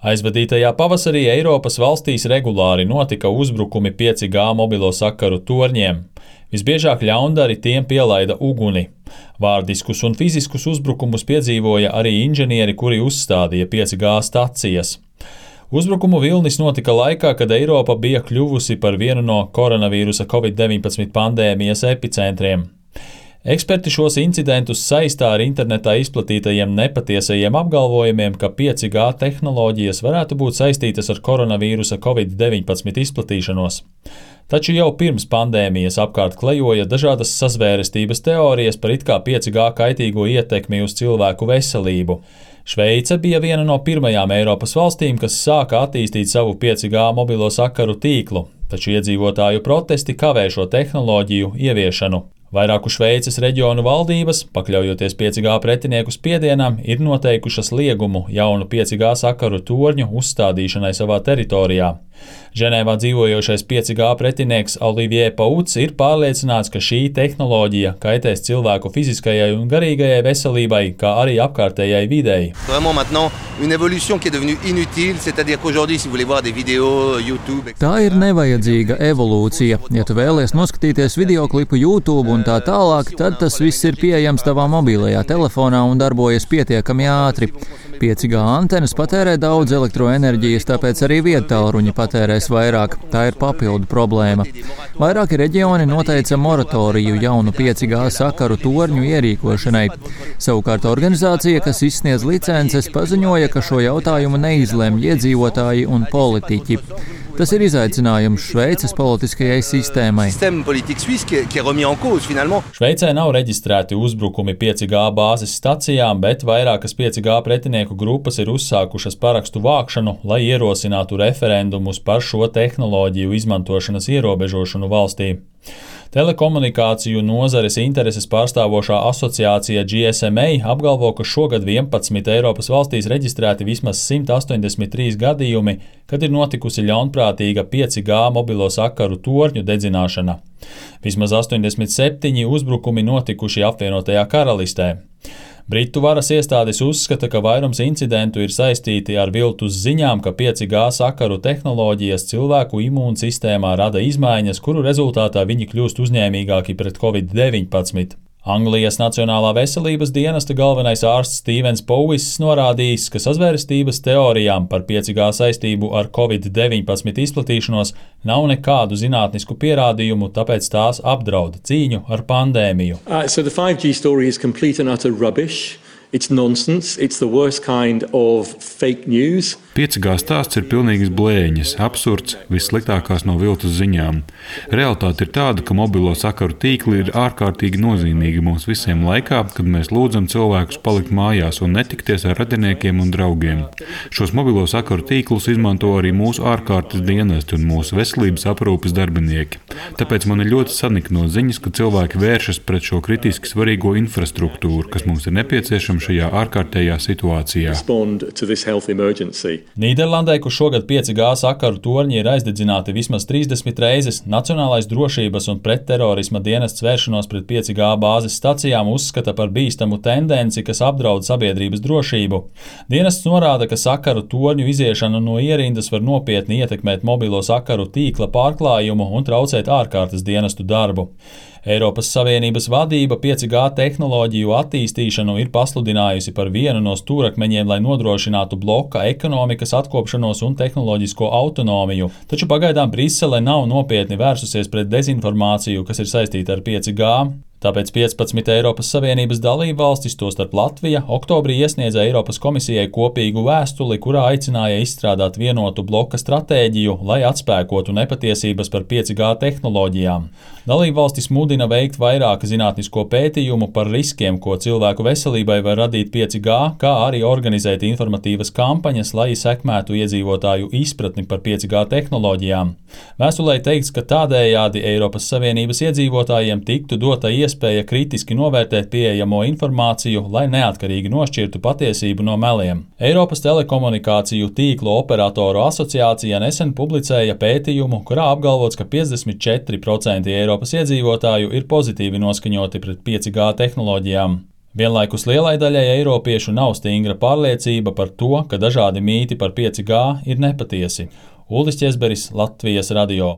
Aizvadītajā pavasarī Eiropas valstīs regulāri notika uzbrukumi 5G mobilo sakaru torņiem. Visbiežāk ļaundari tiem pielaida uguni. Vārdiskus un fiziskus uzbrukumus piedzīvoja arī inženieri, kuri uzstādīja 5G stacijas. Uzbrukumu vilnis notika laikā, kad Eiropa bija kļuvusi par vienu no koronavīrusa Covid-19 pandēmijas epicentriem. Eksperti šos incidentus saistā ar internetā izplatītajiem nepatiesajiem apgalvojumiem, ka 5G tehnoloģijas varētu būt saistītas ar koronavīrusa Covid-19 izplatīšanos. Taču jau pirms pandēmijas apkārt klejoja dažādas sazvērestības teorijas par it kā 5G kaitīgo ietekmi uz cilvēku veselību. Šveice bija viena no pirmajām Eiropas valstīm, kas sāka attīstīt savu 5G mobilo sakaru tīklu, taču iedzīvotāju protesti kavē šo tehnoloģiju ieviešanu. Vairāku Šveices reģionu valdības, pakļaujoties 5G pretinieku spiedienam, ir noteikušas liegumu jaunu 5G sakaru torņu uzstādīšanai savā teritorijā. Ženēvā dzīvojošais 5G pretinieks Olivier Pauts ir pārliecināts, ka šī tehnoloģija kaitēs cilvēku fiziskajai un garīgajai veselībai, kā arī apkārtējai videi. Tā ir nevajadzīga evolūcija. Ja tu vēlies noskatīties videoklipu YouTube un tā tālāk, tad tas viss ir pieejams tavā mobilajā telefonā un darbojas pietiekami ātri. 5G antenas patērē daudz elektroenerģijas, tāpēc arī viedtālruņi patērēs vairāk. Tā ir papildu problēma. Vairāki reģioni noteica moratoriju jaunu 5G sakaru torņu ierīkošanai. Savukārt organizācija, kas izsniedz licences, paziņoja, ka šo jautājumu neizlemj iedzīvotāji un politiķi. Tas ir izaicinājums Šveices politiskajai sistēmai. Šveicē nav reģistrēti uzbrukumi 5G bāzes stacijām, bet vairākas 5G pretinieku grupas ir uzsākušas parakstu vākšanu, lai ierosinātu referendumus par šo tehnoloģiju izmantošanas ierobežošanu valstī. Telekomunikāciju nozares intereses pārstāvošā asociācija GSMA apgalvo, ka šogad 11 Eiropas valstīs reģistrēti vismaz 183 gadījumi, kad ir notikusi ļaunprātīga 5G mobilo sakaru torņu dedzināšana. Vismaz 87 uzbrukumi notikuši apvienotajā karalistē. Britu varas iestādes uzskata, ka vairums incidentu ir saistīti ar viltus ziņām, ka 5G sakaru tehnoloģijas cilvēku imūnsistēmā rada izmaiņas, kuru rezultātā viņi kļūst uzņēmīgāki pret Covid-19. Anglijas Nacionālā veselības dienesta galvenais ārsts Stevens Powis norādījis, ka sazvērestības teorijām par 5G saistību ar Covid-19 izplatīšanos nav nekādu zinātnisku pierādījumu, tāpēc tās apdraud cīņu ar pandēmiju. So the 5G story is complete and utter rubbish. It's nonsense. It's the worst kind of fake news. 5G stāsts ir pilnīgas blēņas, absurds, vissliktākās no viltus ziņām. Realitāte ir tāda, ka mobilo sakaru tīkli ir ārkārtīgi nozīmīgi mums visiem laikā, kad mēs lūdzam cilvēkus palikt mājās un netikties ar radiniekiem un draugiem. Šos mobilo sakaru tīklus izmanto arī mūsu ārkārtas dienesti un mūsu veselības aprūpes darbinieki. Tāpēc man ir ļoti sanikno ziņas, ka cilvēki vēršas pret šo kritiski svarīgo infrastruktūru, kas mums ir nepieciešama šajā ārkārtējā situācijā. Nīderlandē, kur šogad 5G sakaru torņi ir aizdedzināti vismaz 30 reizes, Nacionālais drošības un pretterorisma dienests vēršanos pret 5G bāzes stacijām uzskata par bīstamu tendenci, kas apdraud sabiedrības drošību. Dienests norāda, ka sakaru torņu iziešana no ierindas var nopietni ietekmēt mobilo sakaru tīkla pārklājumu un traucēt ārkārtas dienestu darbu. Eiropas Savienības vadība 5G tehnoloģiju attīstīšanu ir pasludinājusi par vienu no stūrakmeņiem, lai nodrošinātu bloka ekonomikas atkopšanos un tehnoloģisko autonomiju. Taču pagaidām Brisele nav nopietni vērsusies pret dezinformāciju, kas ir saistīta ar 5G. Tāpēc 15 Eiropas Savienības dalībvalstis, tostarp Latvija, oktobrī iesniedza Eiropas komisijai kopīgu vēstuli, kurā aicināja izstrādāt vienotu bloka stratēģiju, lai atspēkotu nepatiesības par 5G tehnoloģijām. Dalībvalstis mudina veikt vairāk zinātnisko pētījumu par riskiem, ko cilvēku veselībai var radīt 5G, kā arī organizēt informatīvas kampaņas, lai sekmētu iedzīvotāju izpratni par 5G tehnoloģijām. Vēstulē teikts, ka tādējādi Eiropas Savienības iedzīvotājiem tiktu dota iespēja kritiski novērtēt pieejamo informāciju, lai neatkarīgi nošķirtu patiesību no meliem. Eiropas telekomunikāciju tīklu operatoru asociācija nesen publicēja pētījumu, kurā apgalvots, ka 54% Eiropas iedzīvotāju ir pozitīvi noskaņoti pret 5G tehnoloģijām. Vienlaikus lielai daļai eiropiešu nav stingra pārliecība par to, ka dažādi mīti par 5G ir nepatiesi. Ulris Ķezberis, Latvijas radio.